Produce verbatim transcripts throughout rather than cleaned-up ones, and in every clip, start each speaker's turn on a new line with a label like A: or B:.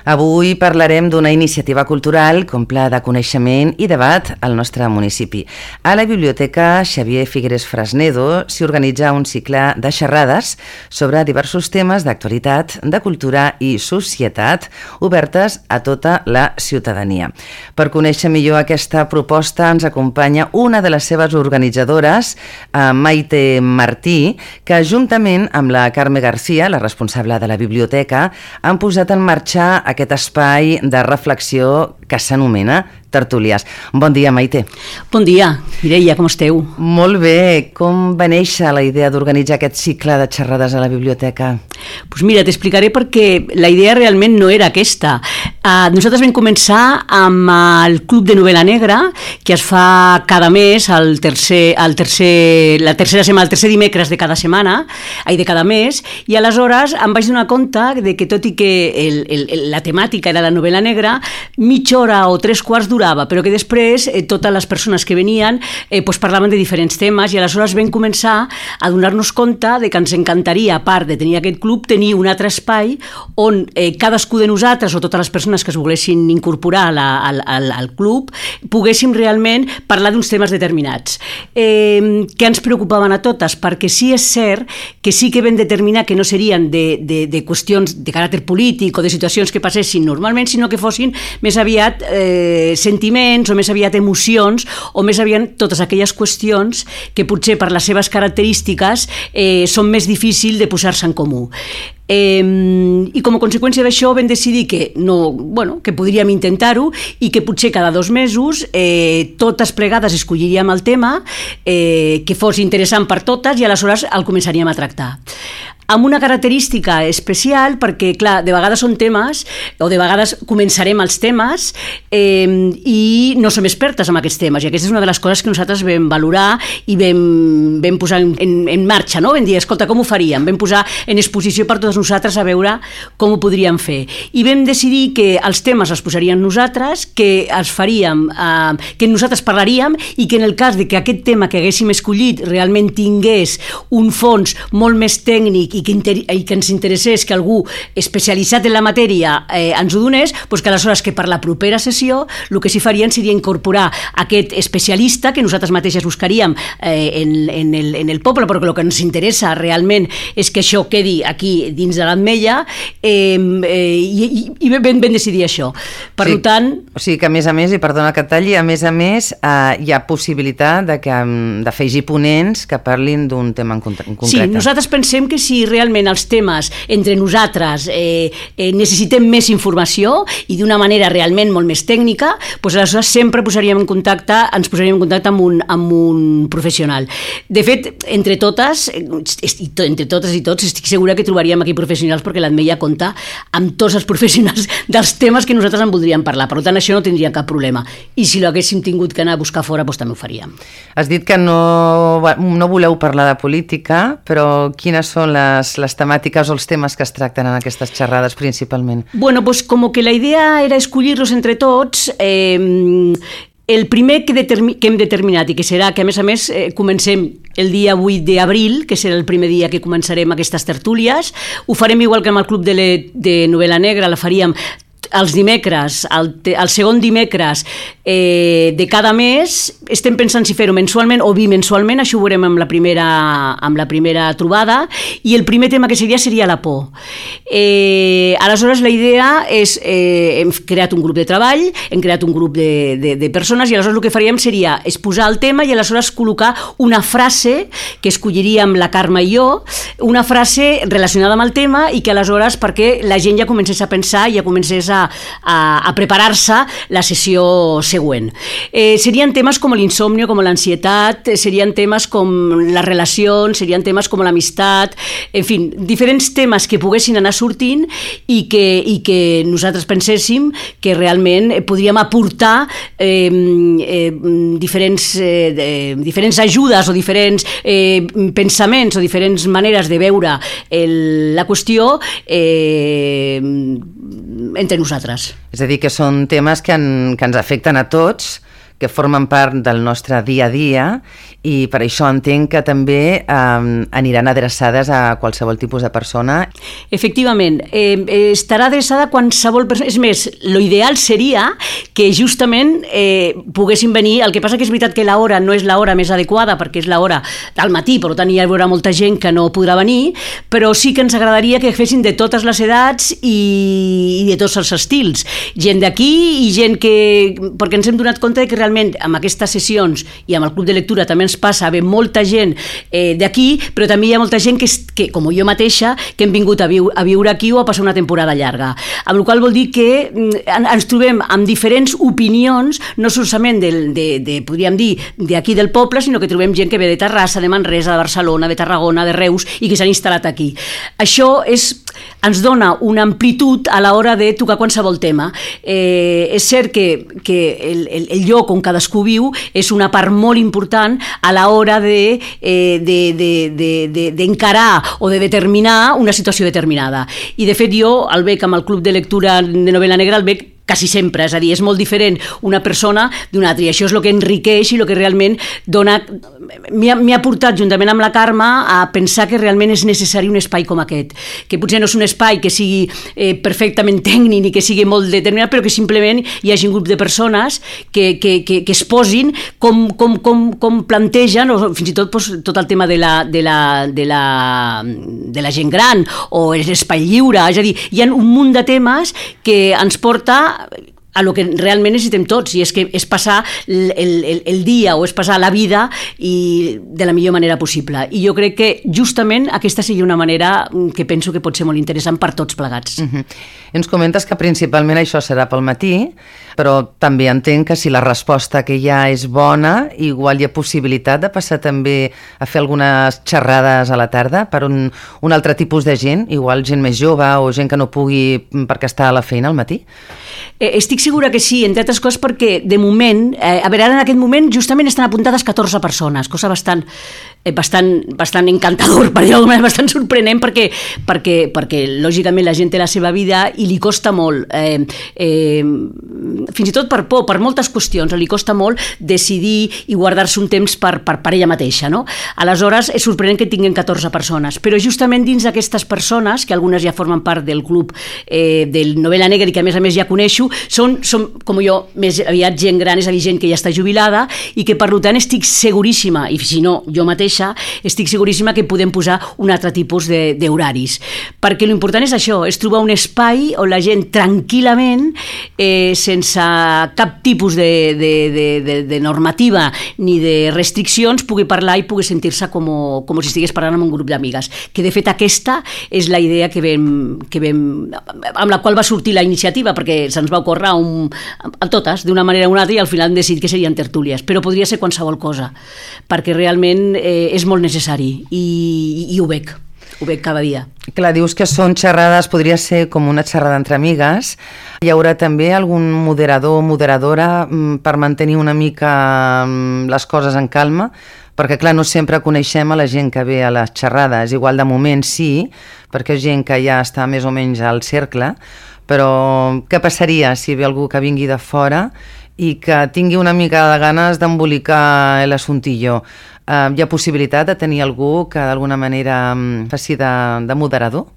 A: Avui parlarem d'una iniciativa cultural com pla de coneixement i debat al nostre municipi. A la Biblioteca Xavier Figueres Fresnedo s'hi organitza un cicle de xerrades sobre diversos temes d'actualitat, de cultura i societat obertes a tota la ciutadania. Per conèixer millor aquesta proposta ens acompanya una de les seves organitzadores, Maite Martí, que juntament amb la Carme García, la responsable de la biblioteca, han posat en marxa aquest espai de reflexió que s'anomena Tertúlies. Bon dia, Maite.
B: Bon dia, Mireia, com esteu?
A: Molt bé. Com va néixer la idea d'organitzar aquest cicle de xerrades a la biblioteca?
B: Doncs mira, t'explicaré perquè la idea realment no era aquesta. Uh, nosaltres vam començar amb el Club de Novel·la Negra, que es fa cada mes, el tercer, el tercer, la tercera setmana, el tercer dimecres de cada setmana, ai, de cada mes, i aleshores em vaig donar compte de que tot i que el, el, la temàtica era la novel·la negra, mitja hora o tres quarts durava, però que després eh, totes les persones que venien eh, pues, parlaven de diferents temes i aleshores vam començar a donar-nos compte de que ens encantaria, a part de tenir aquest club, tenir un altre espai on eh, cadascú de nosaltres o totes les persones que es volguessin incorporar a la, al, al, al club poguéssim realment parlar d'uns temes determinats eh, que ens preocupaven a totes, perquè sí és cert que sí que vam determinar que no serien de, de, de qüestions de caràcter polític o de situacions que passessin normalment, sinó que fossin més aviat eh, sentiments o més aviat emocions o més aviat totes aquelles qüestions que potser per les seves característiques eh, són més difícils de posar-se en comú. Eh, i com a conseqüència d'això vam decidir que, no, bueno, que podríem intentar-ho i que potser cada dos mesos eh, totes plegades escolliríem el tema eh, que fos interessant per totes i aleshores el començaríem a tractar amb una característica especial perquè, clar, de vegades són temes o de vegades començarem els temes eh, i no som expertes en aquests temes i aquesta és una de les coses que nosaltres vam valorar i vam, vam posar en, en marxa, no? Vam dir, escolta, com ho faríem? Vam posar en exposició per totes nosaltres a veure com ho podríem fer i vam decidir que els temes els posaríem nosaltres, que els faríem, eh, que nosaltres parlaríem i que en el cas de que aquest tema que haguéssim escollit realment tingués un fons molt més tècnic i que, inter- i que ens interessés que algú especialitzat en la matèria eh, ens ho donés, doncs que aleshores que per la propera sessió el que s'hi farien seria incorporar aquest especialista que nosaltres mateixes buscaríem eh, en, en, el, en el poble, perquè el que ens interessa realment és que això quedi aquí dins de l'Ametlla eh, eh, i, i, i ben, ben decidir això. Per
A: sí,
B: tant...
A: O sigui que a més a més, i perdona que et talli, a més a més eh, hi ha possibilitat de que, d'afegir ponents que parlin d'un tema en concret.
B: Sí, nosaltres pensem que si realment els temes entre nosaltres eh, eh, necessitem més informació i d'una manera realment molt més tècnica, doncs aleshores sempre posaríem en contacte, ens posaríem en contacte amb un, amb un professional. De fet, entre totes, entre totes i tots, estic segura que trobaríem aquí professionals perquè l'Ametlla compta amb tots els professionals dels temes que nosaltres en voldríem parlar. Per tant, això no tindria cap problema. I si l'haguéssim tingut que anar a buscar fora, doncs també ho faríem.
A: Has dit que no, no voleu parlar de política, però quines són les les temàtiques o els temes que es tracten en aquestes xerrades principalment?
B: Bueno, pues como que la idea era escollir-los entre tots. Eh, el primer que, determi- que hem determinat i que serà que a més a més eh, comencem el dia vuit d'abril, que serà el primer dia que començarem aquestes tertúlies, ho farem igual que amb el Club de, le, de Novel·la Negra, la faríem els dimecres, el, el segon dimecres eh, de cada mes. Estem pensant si fer-ho mensualment o bimensualment, això ho veurem amb la primera, amb la primera trobada, i el primer tema que seria seria la por. Eh, aleshores la idea és, eh, hem creat un grup de treball, hem creat un grup de, de, de persones i aleshores el que faríem seria exposar el tema i aleshores col·locar una frase que escolliríem la Carme i jo, una frase relacionada amb el tema i que aleshores perquè la gent ja comencés a pensar i ja comencés a A, a preparar-se la sessió següent. Eh, serien temes com l'insomnio, com l'ansietat, serien temes com les relacions, serien temes com l'amistat, en fi, diferents temes que poguessin anar sortint i que, i que nosaltres penséssim que realment podríem aportar eh, eh, diferents, eh, diferents ajudes o diferents eh, pensaments o diferents maneres de veure el, la qüestió eh, entre nosaltres.
A: És a dir, que són temes que, en, que ens afecten a tots, que formen part del nostre dia a dia, i per això entenc que també eh, aniran adreçades a qualsevol tipus de persona.
B: Efectivament, eh, estarà adreçada a qualsevol persona. És més, l'ideal seria que justament eh, poguessin venir. El que passa que és veritat que l'hora no és l'hora més adequada, perquè és l'hora del matí, per tant hi haurà molta gent que no podrà venir, però sí que ens agradaria que fessin de totes les edats i, i de tots els estils. Gent d'aquí i gent que... perquè ens hem donat compte que realment amb aquestes sessions i amb el club de lectura també ens passa a haver molta gent eh, d'aquí, però també hi ha molta gent que, que, com jo mateixa, que hem vingut a, viu, a viure aquí o a passar una temporada llarga. Amb la qual vol dir que ens trobem amb diferents opinions, no solament de, de, de podríem dir, d'aquí del poble, sinó que trobem gent que ve de Terrassa, de Manresa, de Barcelona, de Tarragona, de Reus, i que s'han instal·lat aquí. Això és, ens dona una amplitud a l'hora de tocar qualsevol tema. Eh, és cert que, que el, el, el lloc on cadascú viu és una part molt important a l'hora de, eh, de, de, de, de, d'encarar o de determinar una situació determinada. I de fet jo el veig amb el Club de Lectura de Novel·la Negra, el veig quasi sempre, és a dir, és molt diferent una persona d'una altra, i això és el que enriqueix i el que realment dona... M'ha, m'ha portat, juntament amb la Carme, a pensar que realment és necessari un espai com aquest, que potser no és un espai que sigui eh, perfectament tècnic ni que sigui molt determinat, però que simplement hi hagi un grup de persones que, que, que, que es posin com, com, com, com plantegen, o fins i tot pues, tot el tema de la, de, la, de, la, de la gent gran o l'espai lliure, és a dir, hi ha un munt de temes que ens porta a lo que realment necessitem tots, i és que és passar el, el, el dia o és passar la vida i de la millor manera possible. I jo crec que justament aquesta seria una manera que penso que pot ser molt interessant per tots plegats.
A: Uh-huh. Ens comentes que principalment això serà pel matí, però també entenc que si la resposta que hi ha és bona, igual hi ha possibilitat de passar també a fer algunes xerrades a la tarda per un, un altre tipus de gent, igual gent més jove o gent que no pugui perquè està a la feina al matí?
B: Eh, estic segura que sí, entre altres coses perquè de moment, eh, a veure, ara en aquest moment justament estan apuntades catorze persones, cosa bastant, eh, bastant, bastant encantador, per dir-ho d'alguna manera, bastant sorprenent, perquè, perquè, perquè lògicament la gent té la seva vida i li costa molt, eh, eh, fins i tot per por, per moltes qüestions, li costa molt decidir i guardar-se un temps per, per, per ella mateixa, no? Aleshores és sorprenent que tinguin catorze persones, però justament dins d'aquestes persones, que algunes ja formen part del club eh, del Novel·la Negra i que a més a més ja coneixo, són, són com jo, més aviat gent gran, és a dir, gent que ja està jubilada i que per tant estic seguríssima, i si no, jo mateixa, estic seguríssima que podem posar un altre tipus de, d'horaris. Perquè l'important és això, és trobar un espai on la gent tranquil·lament, eh, sense cap tipus de, de, de, de, de normativa ni de restriccions, pugui parlar i pugui sentir-se com, com si estigués parlant amb un grup d'amigues. Que de fet aquesta és la idea que vam, que vam, amb la qual va sortir la iniciativa, perquè se'ns va ocórrer un, a totes, d'una manera o una altra, i al final hem decidit que serien tertúlies, però podria ser qualsevol cosa, perquè realment eh, és molt necessari i, i ho veig, ho veig cada dia.
A: Clar, dius que són xerrades, podria ser com una xerrada entre amigues. Hi haurà també algun moderador o moderadora per mantenir una mica les coses en calma? Perquè, clar, no sempre coneixem a la gent que ve a les xerrades. Igual de moment sí, perquè és gent que ja està més o menys al cercle, però què passaria si ve algú que vingui de fora i que tingui una mica de ganes d'embolicar l'assuntillo? Uh, hi ha possibilitat de tenir algú que d'alguna manera um, faci de, de moderador?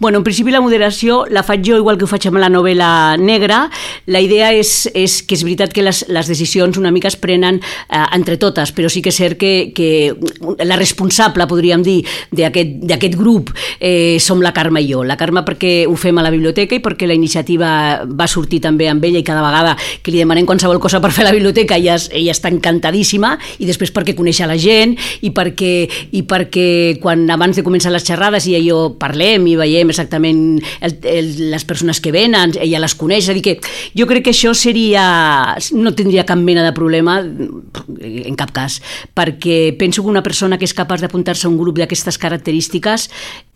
B: Bueno, en principi la moderació la faig jo igual que ho faig amb la novel·la negra. La idea és, és que és veritat que les, les decisions una mica es prenen uh, entre totes, però sí que és cert que, que la responsable, podríem dir, d'aquest, d'aquest grup eh, som la Carme i jo. La Carme perquè ho fem a la biblioteca i perquè la iniciativa va sortir també amb ella i cada vegada que li demanem qualsevol cosa per fer a la biblioteca ella, ella està encantadíssima, i després perquè coneix a la gent i perquè, i perquè quan abans de començar les xerrades i jo parlem i veiem exactament el, el, les persones que venen, ella les coneix, és a dir que jo crec que això seria, no tindria cap mena de problema en cap cas, perquè penso que una persona que és capaç d'apuntar-se a un grup d'aquestes característiques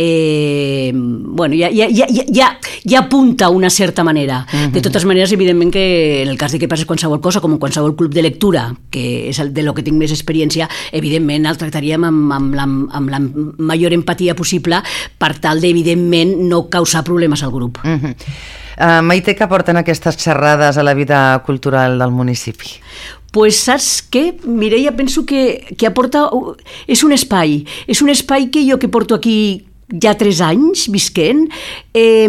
B: eh, bueno, ja, ja, ja, ja, ja apunta una certa manera. Uh-huh. De totes maneres, evidentment que en el cas de que passi qualsevol cosa, com en qualsevol club de lectura, que és el de lo que tinc més experiència, evidentment evidentment el tractaríem amb, amb, la, amb la major empatia possible per tal d'evidentment no causar problemes al grup.
A: Uh-huh. Uh, Maite, què porten aquestes xerrades a la vida cultural del municipi?
B: Pues saps què, Mireia? Penso que, que aporta... És un espai, és un espai que jo que porto aquí ja tres anys visquent, eh,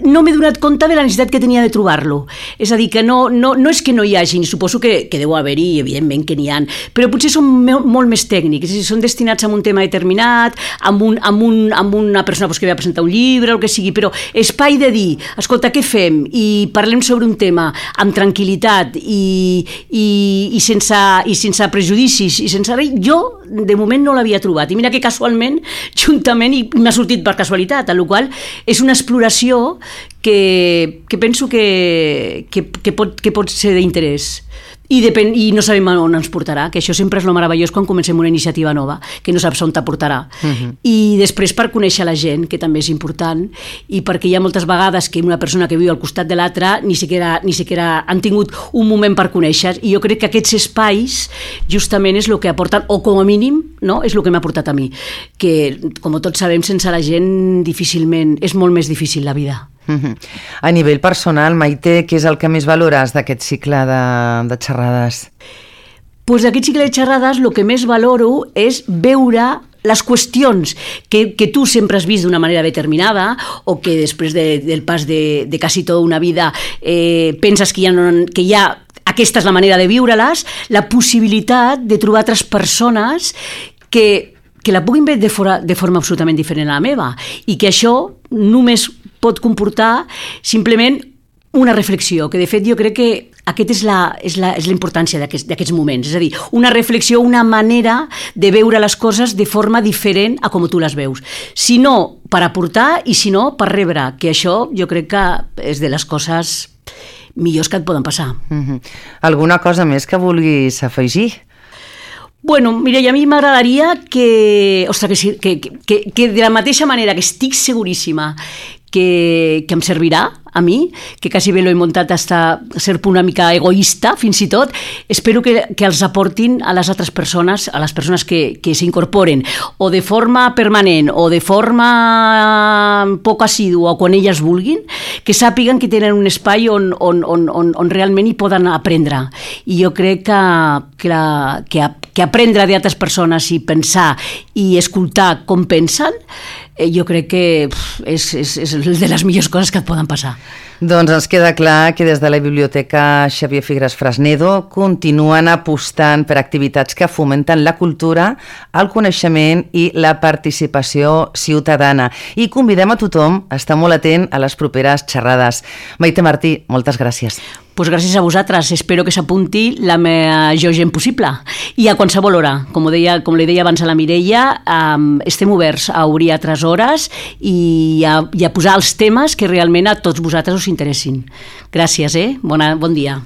B: no m'he donat compte de la necessitat que tenia de trobar-lo. És a dir, que no, no, no és que no hi hagi, suposo que, que deu haver-hi, evidentment que n'hi ha, però potser són molt més tècnics, és a dir, són destinats a un tema determinat, amb, un, amb, un, amb una persona pues, que ve a presentar un llibre o el que sigui, però espai de dir, escolta, què fem? I parlem sobre un tema amb tranquil·litat i, i, i, sense, i sense prejudicis i sense res, jo de moment no l'havia trobat. I mira que casualment, juntament, i m'ha sortit per casualitat, amb la qual cosa és una exploració que, que penso que, que, que, pot, que pot ser d'interès. I, depèn, i no sabem on ens portarà, que això sempre és el meravellós quan comencem una iniciativa nova, que no saps on t'aportarà. Uh-huh. I després per conèixer la gent, que també és important, i perquè hi ha moltes vegades que una persona que viu al costat de l'altra ni siquiera, ni siquiera han tingut un moment per conèixer, i jo crec que aquests espais justament és el que aporten, o com a mínim, no? És el que m'ha portat a mi, que com tots sabem, sense la gent difícilment, és molt més difícil la vida.
A: Uh-huh. A nivell personal, Maite, què és el que més valores d'aquest cicle de, de xerrades?
B: Pues d'aquest cicle de xerrades el que més valoro és veure les qüestions que, que tu sempre has vist d'una manera determinada o que després de, del pas de, de quasi tota una vida eh, penses que ja, no, que ja aquesta és la manera de viure-les, la possibilitat de trobar altres persones que, que la puguin veure de, fora, de forma absolutament diferent a la meva i que això només pot comportar simplement una reflexió, que de fet jo crec que aquesta és la, és la, és la importància d'aquests, d'aquests moments, és a dir, una reflexió, una manera de veure les coses de forma diferent a com tu les veus. Si no, per aportar i si no, per rebre, que això jo crec que és de les coses millors que et poden passar.
A: Uh-huh. Alguna cosa més que vulguis afegir?
B: Bueno, mira, i a mi m'agradaria que, ostres, que, que, que, que de la mateixa manera que estic seguríssima que, que em servirà a mi, que quasi bé l'he muntat hasta ser una mica egoista, fins i tot, espero que, que els aportin a les altres persones, a les persones que, que s'incorporen, o de forma permanent, o de forma poc assidua, o quan elles vulguin, que sàpiguen que tenen un espai on, on, on, on, on realment hi poden aprendre. I jo crec que, que, la, que, que aprendre d'altres persones i pensar i escoltar com pensen, jo crec que és, és, és de les millors coses que et poden passar.
A: Doncs ens queda clar que des de la Biblioteca Xavier Figueras Fresnedo continuen apostant per activitats que fomenten la cultura, el coneixement i la participació ciutadana. I convidem a tothom a estar molt atent a les properes xerrades. Maite Martí, moltes gràcies.
B: Pues gràcies a vosaltres, espero que s'apunti la major gent possible i a qualsevol hora, com, deia, com li deia abans a la Mireia, um, estem oberts a obrir altres hores i a, i a posar els temes que realment a tots vosaltres us interessin. Gràcies, eh? Bona, bon dia.